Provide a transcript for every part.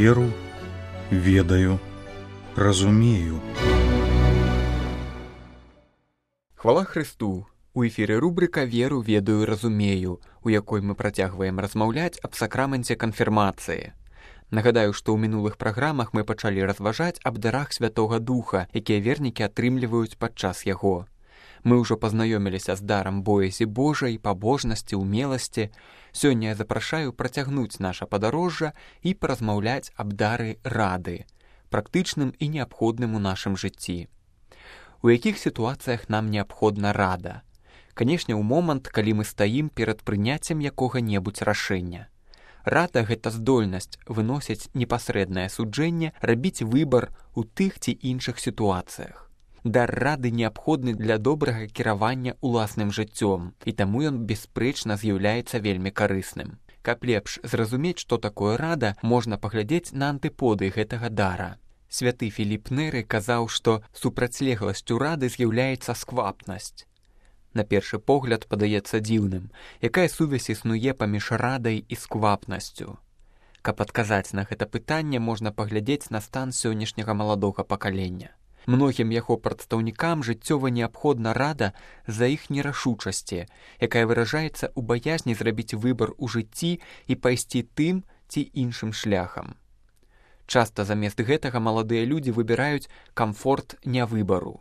Веру, ведаю, разумею. Хвала Христу! У эфіры рубрика «Веру, ведаю, разумею», у якой мы працягваем размаўляць аб сакраменце канфірмацыі. Нагадаю, што ў мінулых праграмах мы пачалі разважаць аб дарах Святога Духа, якія вернікі атрымліваюць падчас яго. Мы ўжо пазнаёміліся з дарам боязі Божай, пабожнасці, умеласці. Сёння я запрашаю працягнуць наша падарожжа і паразмаўляць аб дары рады, практычным і неабходным у нашым жыцці. У якіх сітуацыях нам неабходна рада? Канешне, у момант, калі мы стаім перад прыняццем якога-небудзь рашэння. Рада – гэта здольнасць выносіць непасрэднае суджэнне, рабіць выбар у тых ці іншых сітуацыях. Дар рады неабходны для добрага кіравання ўласным жыццём, і таму ён бясспрэчна з'яўляецца вельмі карысным. Каб лепш зразумець, што такое рада, можна паглядзець на антыподы гэтага дара. Святы Філіп Неры казаў, што супрацьлегласцю рады з'яўляецца сквапнасць. На першы погляд падаецца дзіўным, якая сувязь існуе паміж радай і сквапнасцю. Каб адказаць на гэта пытанне, можна паглядзець на стан сённяшняга маладога пакалення. Многім яго прадстаўнікам жыццёва неабходна рада з-за іх нерашучасці, якая выражаецца ў баязні зрабіць выбар у жыцці і пайсці тым ці іншым шляхам. Часта замест гэтага маладыя людзі выбіраюць камфорт нявыбару.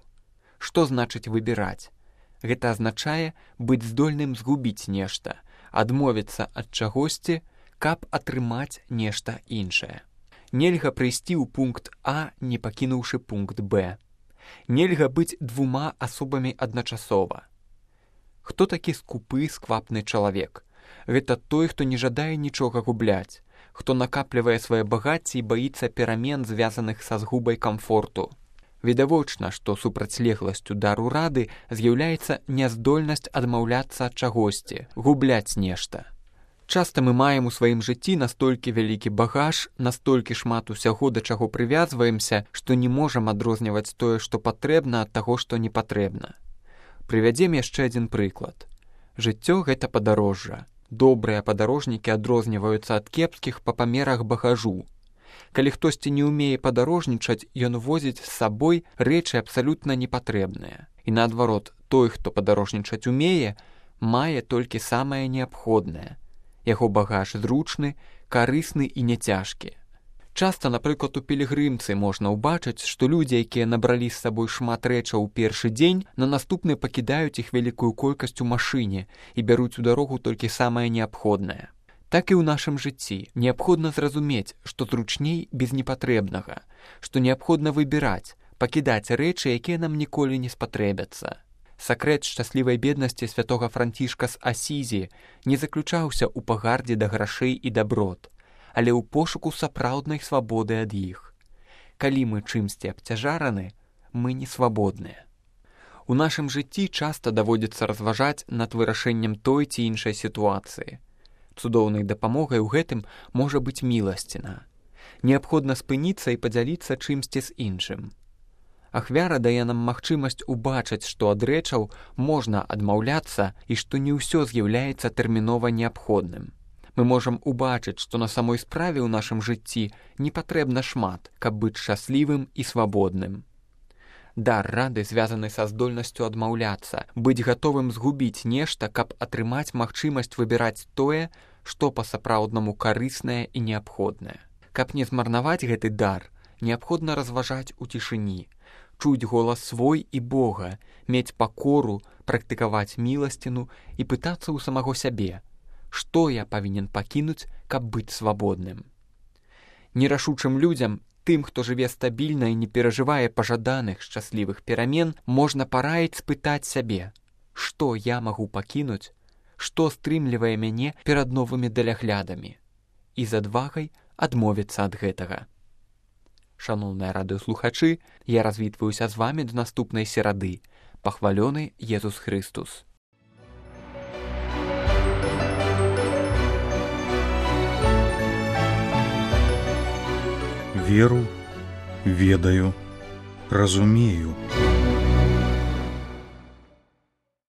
Што значыць выбіраць? Гэта азначае быць здольным згубіць нешта, адмовіцца ад чагосьці, каб атрымаць нешта іншае. Нельга прыйсці ў пункт А, не пакінуўшы пункт Б. Нельга быць двума асобамі адначасова. Хто такі скупы, сквапны чалавек? Гэта той, хто не жадае нічога губляць, хто накаплівае свае багацці і баіцца перамен, звязаных са згубай камфорту. Відавочна, што супрацьлегласцю дару рады з'яўляецца няздольнасць адмаўляцца ад чагосьці, губляць нешта. Часта мы маем у сваім жыцці настолькі вялікі багаж, настолькі шмат усяго, да чаго прывязваемся, што не можам адрозніваць тое, што патрэбна, ад таго, што не патрэбна. Прывядзем яшчэ адзін прыклад. Жыццё – гэта падарожжа. Добрыя падарожнікі адрозніваюцца ад кепскіх па памерах багажу. Калі хтосьці не ўмее падарожнічаць, ён возіць з сабой рэчы абсалютна непатрэбныя. І наадварот, той, хто падарожнічаць умее, мае толькі самае неабходнае. Яго багаж зручны, карысны і няцяжкі. Часта, напрыклад, у пілігрымцы можна ўбачыць, што людзі, якія набралі з сабой шмат рэчаў у першы дзень, на наступны пакідаюць іх вялікую колькасць у машыне і бяруць у дарогу толькі самае неабходнае. Так і ў нашым жыцці неабходна зразумець, што зручней без непатрэбнага, што неабходна выбіраць, пакідаць рэчы, якія нам ніколі не спатрэбяцца. Сакрэт шчаслівай беднасці святога Францішка з Асізі не заключаўся ў пагардзе да грашэй і даброт, але ў пошуку сапраўднай свабоды ад іх. Калі мы чымсьці абцяжараны, мы не свабодныя. У нашым жыцці часта даводзіцца разважаць над вырашэннем той ці іншай сітуацыі. Цудоўнай дапамогай у гэтым можа быць міласціна. Неабходна спыніцца і падзяліцца чымсьці з іншым. Ахвяра дае нам магчымасць убачыць, што ад рэчаў можна адмаўляцца і што не ўсё з'яўляецца тэрмінова неабходным. Мы можам убачыць, што на самой справе ў нашым жыцці не патрэбна шмат, каб быць шчаслівым і свабодным. Дар рады звязаны са здольнасцю адмаўляцца, быць гатовым згубіць нешта, каб атрымаць магчымасць выбіраць тое, што па-сапраўднаму карыснае і неабходнае. Каб не змарнаваць гэты дар, неабходна разважаць у цішыні, чуць голас свой і Бога, мець пакору, практыкаваць міласціну і пытацца ў самого сябе, што я павінен пакінуць, каб быць свабодным. Нерашучым людзям, тым, хто жыве стабільна і не перажывае пажаданых шчаслівых перамен, можна параіць спытаць сябе, што я магу пакінуць, што стрымлівае мяне перад новымі даляглядамі, і з адвагай адмовіцца ад гэтага. Шаноўныя радыёслухачы, я развітваюся з вамі да наступнай серады. Пахвалёны Езус Христус. Веру, ведаю, разумею.